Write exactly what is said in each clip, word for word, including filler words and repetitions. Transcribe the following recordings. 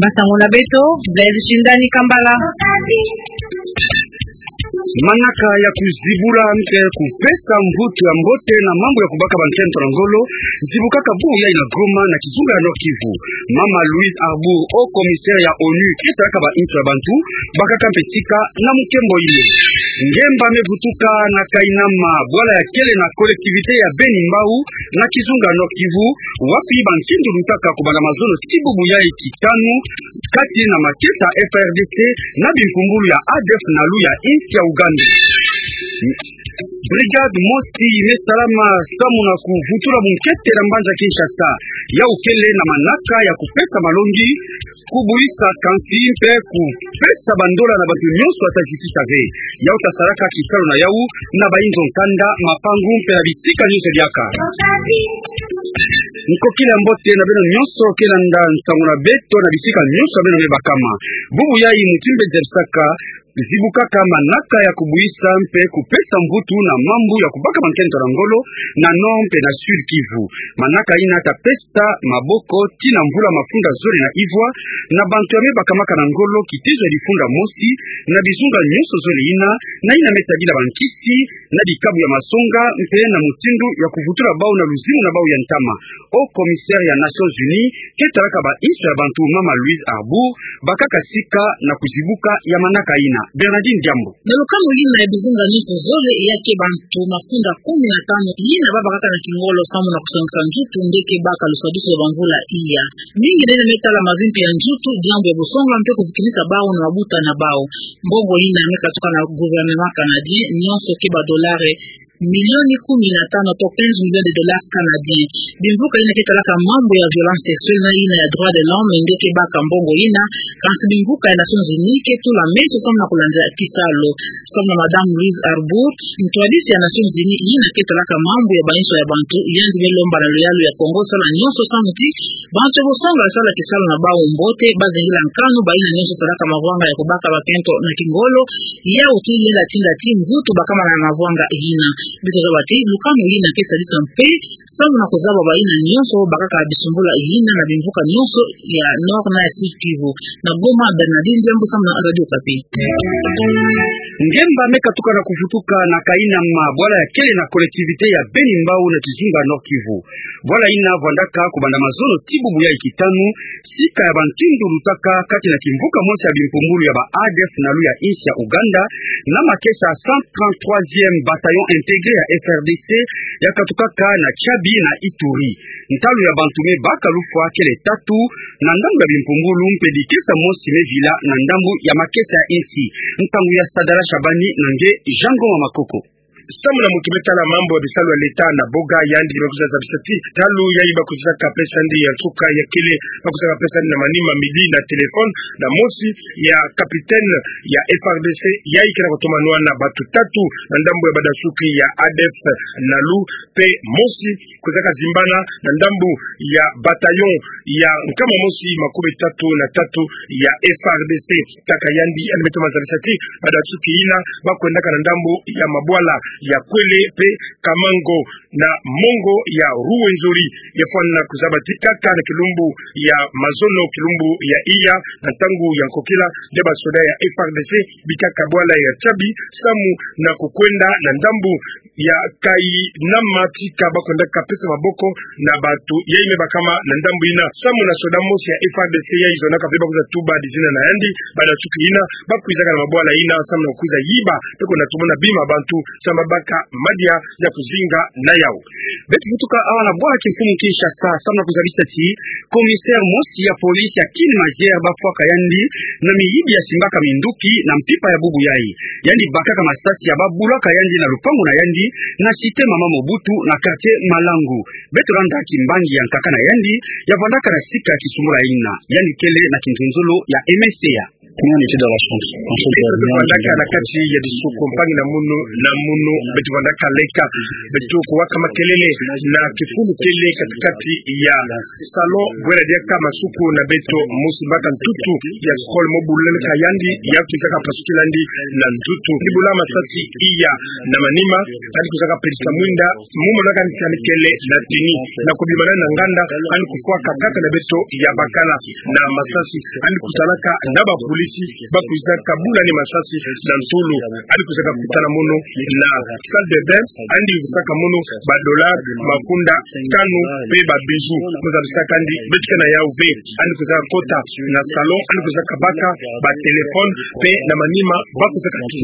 Basango na beto, Blaise Shindani Kambala. Manaka ya kuzibula mpe kupesa mvutu ya mbote na mambu ya kubaka bankento na ngolo zibukaka bubu yayi na Goma, na kizunga ya Nord-Kivu. Mama Louise Arbour, haut commissaire ya onu ke salaka ba inso ya bantu, bakaka mpe tika na mukembo ine. Ngemba me vutuka na Kainama, bwala ya kele na collectivité ya Beni-Mbau, na kizunga ya Nord-Kivu, wapi bankindu lutaka kubanda mazono ti bubu yayi kitanu, kati na makesa ya F A R D C na bimpumbulu ya A D F Nalu ya insi ya Ouganda. Brigade mosi me salama samu na kuvutula bunkete na mbanza Kinshasa. Yawu kele na manaka ya kupesa malongi, kubwisa kansi mpe kupesa bandola na bantu nyonso ata justice ave. Yawu ta salaka kisalu na yawu na bainzo nkanda, mapangu mpe na bisika nyonso diaka. Nkokila ya mbote na beno nyonso ke landa nsangu na beto na bisika nyonso beno me bakama. Bubu yayi mutindu mpe zebisaka zibukaka manaka ya kubwisa mpe kupesa mvutu na mambu ya kubaka bankento na ngolo na Nord mpe na Sud-Kivu. Manaka ina ta pesa maboko tii na mvula mafunda zole na ivwa na bantu ya me bakamaka na ngolo kitezo ya difunda mosi na bizunga nyonso zole ina, na ina me sadila bankisi na bikabu ya masonga mpe na mutindu ya kuvutula bau na luzingu na bau ya ntama. Haut commissaire ya Nations Unies ke talaka bainso ya bantu, Mama Louise Arbour, bakaka sika na kuzibuka ya manaka ina. Bernardine Diambo. Na lukamu ina ya bizunga nyonso zole ya ke bantu mafunda kumi na tanu ina babakaka na kingolo samu na kusongisa nzutu nde ke baka lusadisu ya bamvula iya. Mingi nene me tala mavimpi ya nzutu, diambu ya bosonga mpe kuzikinisa bau na mabuta na bau. Mbongo ina me katuka na gouvernement canadien, nyonso ke ba dollars milioni kumi na tanu to quinze millions de dollars canadiens. Bimvuka ina ke talaka mambu ya violence sexuelle na ina ya droit de l'homme nde ke baka mbongo ina, kansi bimvuka ya Nations Unies ke tula meso samu na kulandila kisalu. Samu na Madame Louise Arbour, ntwadisi ya Nations Unies ina ke talaka mambu ya bainso ya bantu, yandi me lomba na luyalu ya Kongo sala nyonso samu ti bantu ya bosonga basala kisalu na bau mbote, bazingila nkanu baina nyonso salaka mavwanga ya kubaka bakento na kingolo, yawu ti yenda tinda ti mvutu bakama na mavwanga ina. Beto zaba ti lukamu ina ke sadisa mpe samu na kuzaba baina nyonso bakaka bisumbula ina na bimvuka nyonso ya Nord na ya Sud-Kivu. Na Goma, Bernardine Diambo samu na Radio Okapi. Ngemba me katuka na kuvutuka na Kainama, bwala ya kele na collectivité ya Beni-Mbau na kizunga Nord-Kivu. Bwala ina vwandaka kubanda mazono ti bubu yayi kitanu, sika ya bankindu lutaka kati na kimvuka mosi ya bimpumbulu ya ba A D F Nalu ya insi ya Ouganda, na makesa ya cent trente-troisième bataillon intégré ya F R D C ya katukaka na Tchabi na Ituri. Ntalu ya bantu me baka lufwa kele tatu na ndambu ya bimpumbulu, mpe dikesa mosi me vila na ndambu ya makesa ya insi. Ntangu ya Sadala Shabani na nge Jean Ngoma Makoko. Samu na mutu me tala mambu ya bisalu ya leta na boga, yandi me kwiza zabisa ti ntalu yayi ba kwizaka pesa yandi ya nsuka ya kele, ba kwizaka pesa yandi na manima midi na téléphone, na mosi ya capitaine ya F R D C yayi ke na kutoma nwana batu tatu na ndambu ya badasuki ya A D F Nalu, mpe mosi kwizaka zimbana na ndambu ya bataillon ya nkama mosi makumi tatu na tatu ya F R D C. Kaka yandi, yandi me toma zabisa ti badasuki ina ba kwendaka na ndambu ya mabwala ya Kwele mpe Kamango na mongo ya Rwenzori. Ya fwana kuzaba ti kaka na kilumbu ya mazono, kilumbu ya iya, na ntangu ya nkokila, nde basoda ya F R D C bikaka bwala ya Tchabi samu na kukwenda na ndambu ya Kainama, tika ba kwendaka pesa maboko na batu yayi me bakama na ndambu ina. Samu na soda mosi ya F R D C yayi zonaka mpe ba kwiza tuba dizina na yandi, badasuki ina ba kwizaka na mabwala ina samu na kwiza yiba mpe kwenda tumona bima bantu samu babaka madia ya kuzinga na yawu. Beto vutuka awa na bwala kimfumu Kinshasa samu na kuzabisa ti commissaire mosi ya police ya Kine Mazière ba fwaka yandi na miyibi ya simbaka minduki na mpimpa ya bubu yayi. Yandi bakaka masasi ya ba bulaka yandi na lupangu na yandi na cité Mama Mobutu na quartier Malangu. Beto landa kimbangi ya nkaka na yandi ya vwandaka na sika ya kisumbula ina. Yandi kele na kinzonzolo ya M S T A. Beto vandaka na kati ya disuku, mpangi na munu na munu, beto vandaka leka, beto kuwaka makelele na kifulu kele katikati ya salon, bwela diaka masuku na beto, mosi mbaka ntutu ya skole mo buleleka yandi, ya kwizaka pasukila yandi na ntutu. Ni bula masasi iya na manima, yandi kwizaka pelisa mwinda, mu monaka ntiani kele na tini, na kubimana na nganda, yandi kufwaka kaka na beto ya bakala na masasi, yandi kutalaka na bapolisi, bakwizaka bula ni masasi na ntulu, yandi kwizaka kutana mono na salle de bain, yandi kuzaka mono ba dollars makonda tanu, pe ba bijoux, mo zabisaka yandi, beto ke na yawu ve, yandi kwizaka kota na salon, yandi kwizaka baka ba téléphone, pe na manima, bakwizaka tu.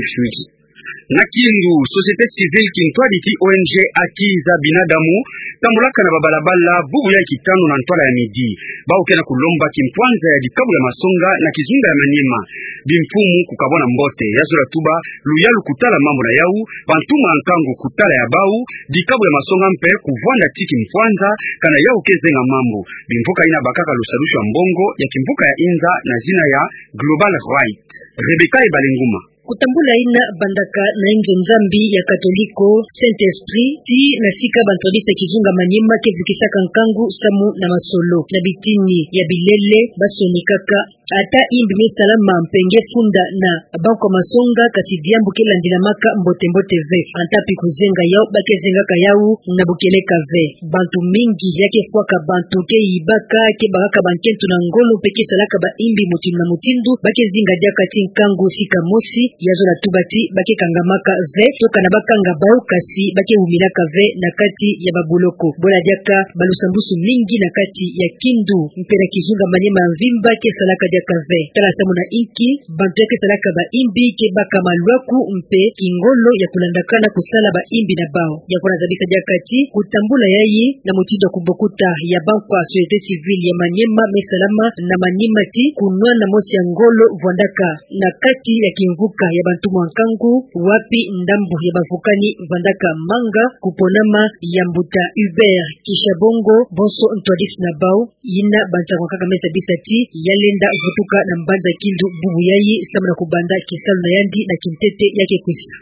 Na Kindu, société civile kintwadi ti O N G Haki za Binadamu, tambolaka na babalabala, bubu ya kitanu na ntwala ya midi. Bawu ke na kulomba kimpwanza ya dikabu ya masonga na kizunga ya Maniema. Bimfumu kukabwana mbote, ya zola tuba luyalu kutala mambu na yawu, bantuma ya nkangu kutala ya bawu, dikabu ya masonga mpe kuvwanda ti kimpwanza, kana yawu ke zenga mambu. Bimvuka yina bakaka lusadusu ya mbongo ya kimvuka ya inza na zina ya Global Rights. Rebecca Ebalenguma. Kutambula yina bandaka na inzo Nzambi ya Katoliko, Saint-Esprit, tii na sika bantwadisi ya kizunga Maniema ke vukisaka nkangu samu na masolo. Na bitini ya bilele, basonikaka ata imbi me salama mpe nge funda na bankwa masonga, kasi diambu ke landilamaka mbote-mbote ve. Ata pi kuzenga yawu, ba ke zengaka yawu na bukeleka ve. Bantu mingi ya ke fwaka bantu, ke yibaka, ke bakaka bankento na ngolo, mpe ke salaka ba imbi mutindu na mutindu, ba ke zinga diaka ti nkangu sika mosi, ya zola tuba ti ba ke kangamaka ve, to kana ba kanga bawu, kasi ba ke wumilaka ve na kati ya babuloko. Bwela diaka balusambusu mingi na kati ya Kindu, mpe na kizunga Maniema ya mvimba ke salaka diaka ve. Tala samu na inki bantu ya ke salaka ba imbi ke baka malwaku mpe kingolo ya kulandakana kusala ba imbi na bawu. Yango na zabisa diaka ti kutambula yayi na mutindu ya kubokuta ya bankwa société civile ya Maniema me salama na Maniema ti kunwana mosi ya ngolo vwandaka na kati ya kimvuka ya bantuma ya nkangu, wapi ndambu ya bavukani vandaka manga, kuponama ya mbuta Hubert Kishabongo, bonso ntwadisi na bawu, yina bansango kaka me zabisa ti ya lenda vutuka na mbanza Kindu bubu yayi, samu na kubanda kisalu na yandi na kintete ya ke kwisa.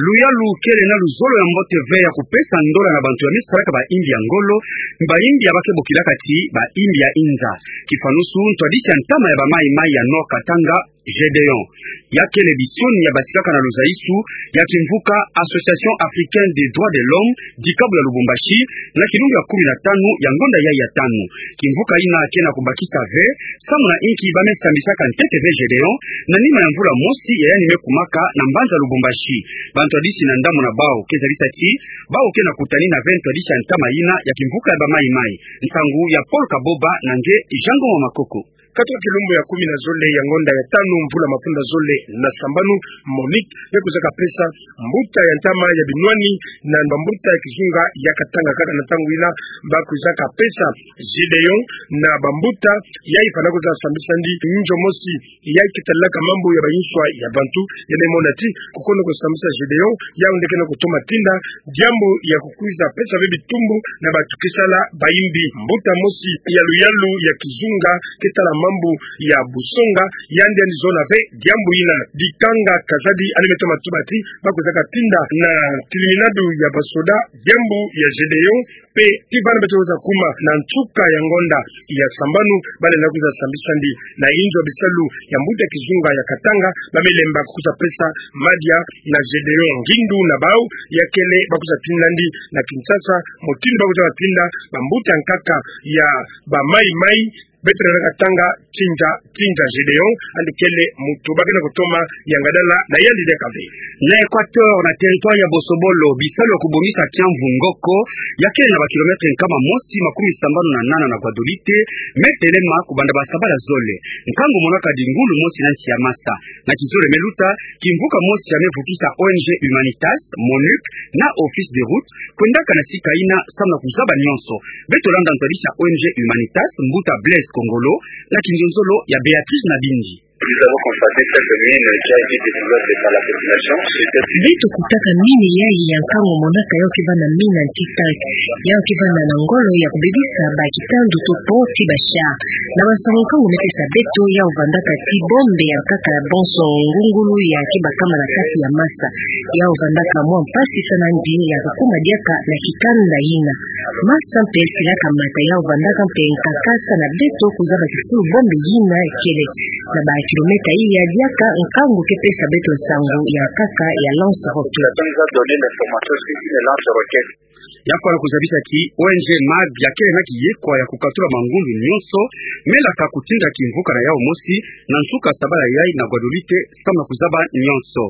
Luyalu kele na luzolo ya mbote ve ya kupesa ndola na bantu ya me salaka ba imbi ya ngolo, ba imbi ya ba ke bokilaka ti ba imbi ya inza. Kifanusu, ntwadisi ya ntama ya ba Maï-Maï ya Nord Katanga, Gédéon. Ya kele bisioni ya basikaka na luzaisu ya kimvuka Association Africaine des Droits de l'Homme, dikabu ya Lubumbashi, na kilumbu ya kumi na tanu ya ngonda yayi ya tanu. Kimvuka yina ke na kubakisa ve samu na inki ba me sambisaka ntete ve Gédéon, na nima ya mvula mosi ya yandi me kumaka na mbanza Lubumbashi. Bantwadisi na ndambu na bawu ke zabisa ti bawu ke na kutanina ve ntwadisi ya ntama yina ya kimvuka ya ba Maï-Maï. Nsangu ya Paul Kaboba na nge Jean Ngoma Makoko. Katuka kilumbu ya kumi na zole ya ngonda ya tanu, mvula mafunda zole na sambanu, Monique ya kwizaka pesa mbuta ya ntama ya binwani na bambuta ya kizunga ya Katanga, kaka na ntangu yina ba kwizaka pesa Gédéon na bambuta ya yifwana kwiza sambisa yandi nzo mosi ya ke talaka mambu ya bainswa ya bantu. Ya me mona ti kukono kusambisa Gédéon, yawu nde ke na kutoma tinda diambu ya kukwiza pesa ve bitumbu na bantu ke sala ba imbi. Mbuta mosi ya luyalu ya kizunga ke tala mambu ya busonga, yandi, yandi zona ve diambu yina. Dikanga Kazadi, yandi me toma tuba ti ba kwizaka tinda na tilindadu ya basoda diambu ya Gédéon, mpe ti vana beto kwiza kuma na nsuka ya ngonda ya sambanu, ba lenda kwiza sambisa yandi na inzo ya bisalu ya mbuta kizunga ya Katanga. Ba me lemba kwiza pesa madia na Gédéon. Ngindu na bawu ya kele ba kwiza tinda yandi na Kinshasa mutindu ba kwiza tinda bambuta nkaka ya ba Maï-Maï. Beto lenda tanga Tindia, Tindia Gédéon, yandi kele muntu ba ke na kutoma yangadala na yandi diaka ve. Na Équateur, na territoire ya Bosobolo, bisalu ya kubongisa kiamvu Ngoko, ya kele na ba kilomètre nkama mosi makumi sambanu na nana na Guadolite, me telema kubanda ba sabala zole. Nkangu monaka di ngulu mosi na nsi ya masa. Na kizole me luta, kimvuka mosi ya me vukisa O N G Humanitas, MONUC, na Office des Routes, kwendaka na sika yina samu na kuzaba nyonso. Beto landa ntwadisi ya O N G Humanitas, mbuta Blaise Kongolo, na kinzonzolo ya Béatrice Nabindi. Nous avons constaté cette mine qui a été découverte par la population. Beto kutaka mine yayi ya nkangu monaka yau kivanda mine antitank, yau kivanda na ngolo ya kubebisa ba kitandu to pont ti ba char. Na bansangu nkangu me pesa beto, yau vandaka ti bombe ya nkaka bonso ngungulu ya kebakama na kati ya masa. Yau vandaka mwa mpasi sana ndi ya kukuma diaka na kikanda yina. Masa mpe silaka mata, yau vandaka mpe nkaka sana beto kuzaba kifulu bombe yina kele na ba kilomètre iya diaka nkangu ke pesa beto nsangu ya nkaka ya lance-roquette. Ya fwana kuzabisa ti O N G MAD ya kele na kiyekwa ya kukatula mangundu nyonso melaka kutinda kimvuka na yau mosi, na nsuka sabala yayi na Guadeloupe, samu na kuzaba nyonso.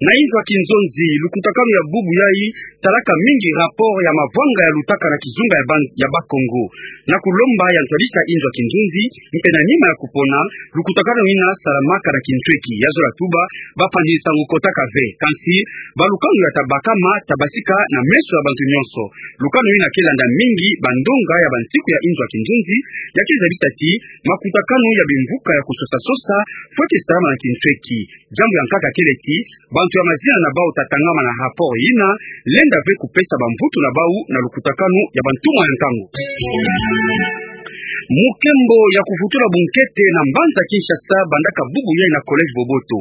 Na inzo ya kinzonzi, lukutakanu ya bubu yayi talaka mingi rapport ya mavwanga ya lutaka na kizunga ya ban-, ya Bas-Congo. Na kulomba ya ntwadisi ya inzo ya kinzonzi, mpe na nima ya kupona, lukutakanu yina salamaka na kintweki, ya zola tuba, bapanzi nsangu kotaka ve, kansi, balukanu ya tabakama, tabasika na meso ya bantu nyonso. Lukanu yina ke landa mingi bandonga ya bantiku ya inzo ya kinzonzi, ya ke zabisa ti, makutakanu ya bimvuka ya kusosa-sosa, fweti salama na kintweki. Diambu ya nkaka kele ti, bantu ya mazina na bau tatangama na rapport yina, lenda ve kupesa bamvutu na bau na lukutakanu ya bantumwa ya nkangu. Mukembo ya kuvutula bunkete na mbanza Kinshasa bandaka bubu yayi na Collège Boboto.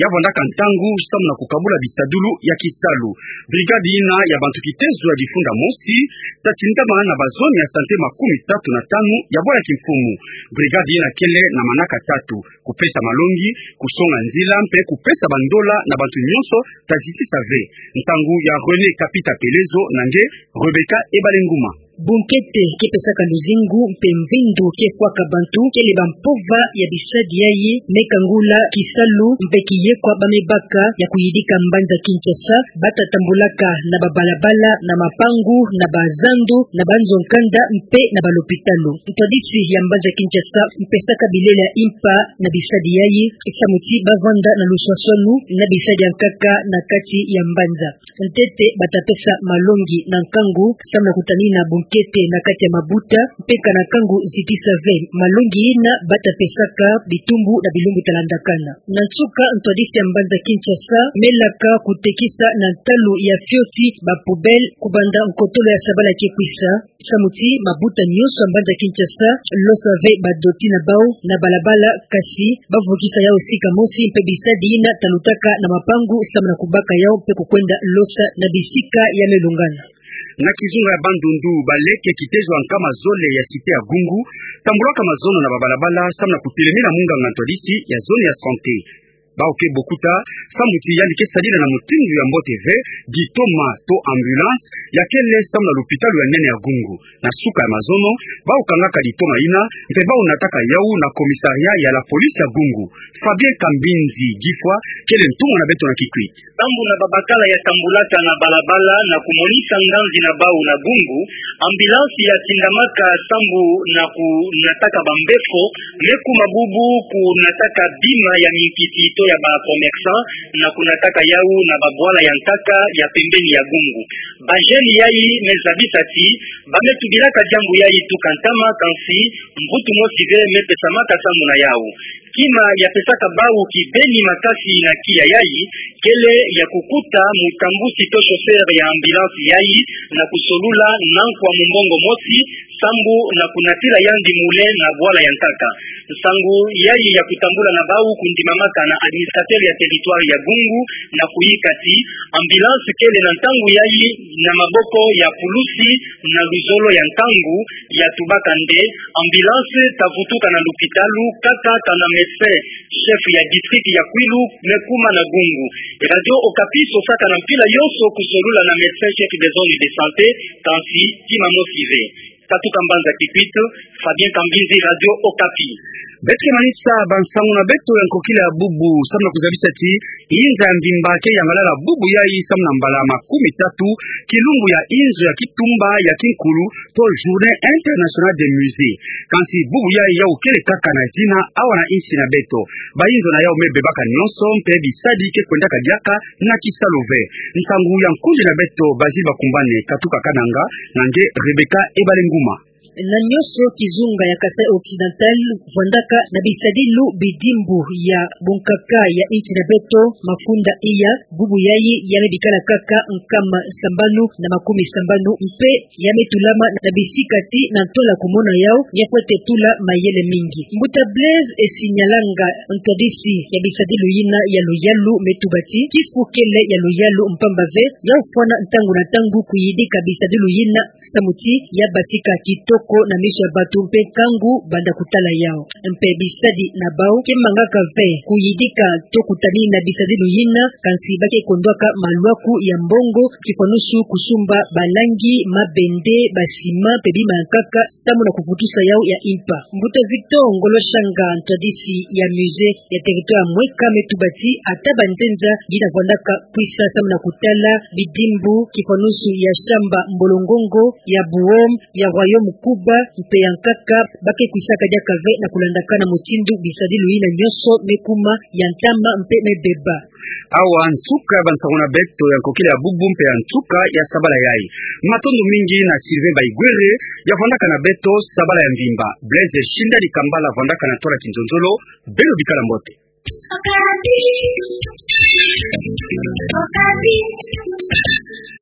Ya vandaka ntangu samu na kukabula bisadulu ya kisalu. Brigade yina ya bantu kitezo ya difunda mosi, tatindama na bazone ya santé makumi tatu na tanu ya bwala kimfumu. Brigade yina kele na manaka tatu: kupesa malongi, kusonga nzila, mpe kupesa bandola na bantu nyonso tazitisa ve. Ntangu ya René Kapita Pelezo na nge Rebecca Ebalenguma. Bunkete ke pesaka luzingu mpe mvindu ke fwaka bantu kele bampova ya bisadi yayi me kangula kisalu mpe kiyekwa ba me baka ya kuyidika mbanza Kinshasa, bata tambulaka na babalabala, na mapangu, na bazandu, na banzo-nkanda mpe na balopitalo. Ntwadisi ya mbanza Kinshasa mpesaka bilele ya impa na bisadi yayi, samu ti bavanda na luswaswanu na bisadi ya nkaka na kati ya mbanza. Ntete bata pesa malongi na nkangu, samu na kutanina bunkete na kati ya mabuta, mpe kana nkangu zitisa ve. Malongi yina bata pesaka bitumbu na bilumbu talandakana. Na nsuka, ntwadisi ya mbanza Kinshasa melaka kutekisa na ntalu ya fioti ba poubelle kubanda nkotolo ya sabala ke kwisa, samu ti mabuta nyonso ya mbanza Kinshasa losa ve badoti na bau na balabala, kasi bavukisa yau sika mosi mpe bisadi yina talutaka na mapangu samu na kubaka yau mpe kukwenda losa na bisika ya melungana. Na kizunga ya Bandundu, baleke kitezo ya nkama zole ya cité ya Gungu tambulaka mazono na babalabala samu na kutelemina munganga ntwadisi ya zone ya santé. Bau ke bokuta, samu ti yandi ke sadila na mutindu ya mbote ve ditoma to ambulance ya kele samu na lupitalu ya nene ya Gungu. Na suka ya mazono, bau kangaka ditoma yina, mpe bau nataka yau na commissariat ya la police ya Gungu. Fabien Kambinzi Gifwa kele ntumwa na beto na Kikwit. Sambu na babakala ya tambulaka na balabala na kumonisa nganzi na bau na Gungu, ambulance ya tindamaka sambu na kunataka bambefo, me kuma bubu kunataka bima ya minkiti to ya ba commerçant, na kunataka yau na babwala ya nkaka ya pembeni ya Gungu. Ba jeunes yayi me zabisa ti ba me tubilaka diambu yayi tuka ntama, kansi mvutu mosi ve me pesamaka samu na yau. Kima ya pesaka bau kibeni makasi na kiya yayi kele ya kukuta mutambusi to chauffeur ya ambulance yayi na kusolula nankwa mumbongo mosi, sambu na kunatila yandi mule na bwala ya nkaka. Nsangu yayi ya kutambula na bau kundimamaka na administrateur ya territoire ya Gungu, na kuyika ti ambulance kele na ntangu yayi na maboko ya pulusi na luzolo ya nkangu ya tubaka nde ambulance ta vutuka na lupitalu kaka kana médecin chef ya district ya Kwilu me kuma na Gungu. Radio Okapi sosaka na mpila yonso kusolula na médecin chef de zone de santé, kansi kima mosi ve. Katuka mbanza Kikwit, Fabien Kambinzi, Radio Okapi. Beto ke manisa bansangu na beto ya nkokila ya bubu, samu na kuzabisa ti inza ya mvimba ke yangalala bubu yayi samu na mbala makumi tatu, kilumbu ya inzo ya kitumba ya kinkulu, to Journée Internationale des Musées. Kansi bubu yayi yau kele kaka na zina awa na insi na beto. Ba inzo na yau me bebaka nyonso, mpe bisadi ke kwendaka diaka na kisalu ve. Nsangu ya nkundi na beto, Basil Bakumbane, katuka Kananga, na nge Rebecca Ebalenguma. Na nyonso kizunga ya Kasaï Occidental vwandaka na bisadilu bidimbu ya bunkaka ya insi na beto, mafunda iya, bubu yayi ya me bikala kaka nkama sambanu na makumi sambanu, mpe ya me tulama na bisikati na ntola kumona yau, ya fwete tula mayele mingi. Mbuta Blaise Esinyalanga, ntwadisi ya bisadilu yina ya luyalu, me tubati kifukele ya luyalu mpamba ve ya ofwana ntangu na ntangu kuyidika bisadilu yina samu ti ya batika kitoko na miso ya bato mpe nkangu banda kutala yau. Mpe bisadi na bau ke mangaka ve kuyidika to kutani na bisadilu yina, kansi ba ke kondwaka malwaku ya mbongo, kifwanusu kusumba balangi, mabende, basima mpe bima ya nkaka, samu na kuputusa yau ya impa. Mbuta Victor Ngolo Shanga, ntwadisi ya musée ya territoire Mweka, me tubati ata banzenza yina vwandaka kwisa samu na kutala bidimbu, kifwanusu ya Shamba Mbolongongo, ya Buom, ya Royaume Kuba mpe ya nkaka, ba ke kwisaka diaka ve na kulandakana mutindu bisadilu yina nyonso me kuma ya ntama mpe me beba. Awa nsuka ya bansango na beto ya nkokila ya bubu mpe ya nsuka ya sabala yayi. Matondo mingi na Sylvain Baigwere, ya vwandaka na beto sabala ya mvimba. Blaise Shindani Kambala vwandaka na ntola kinzonzolo. Beno bikala mbote.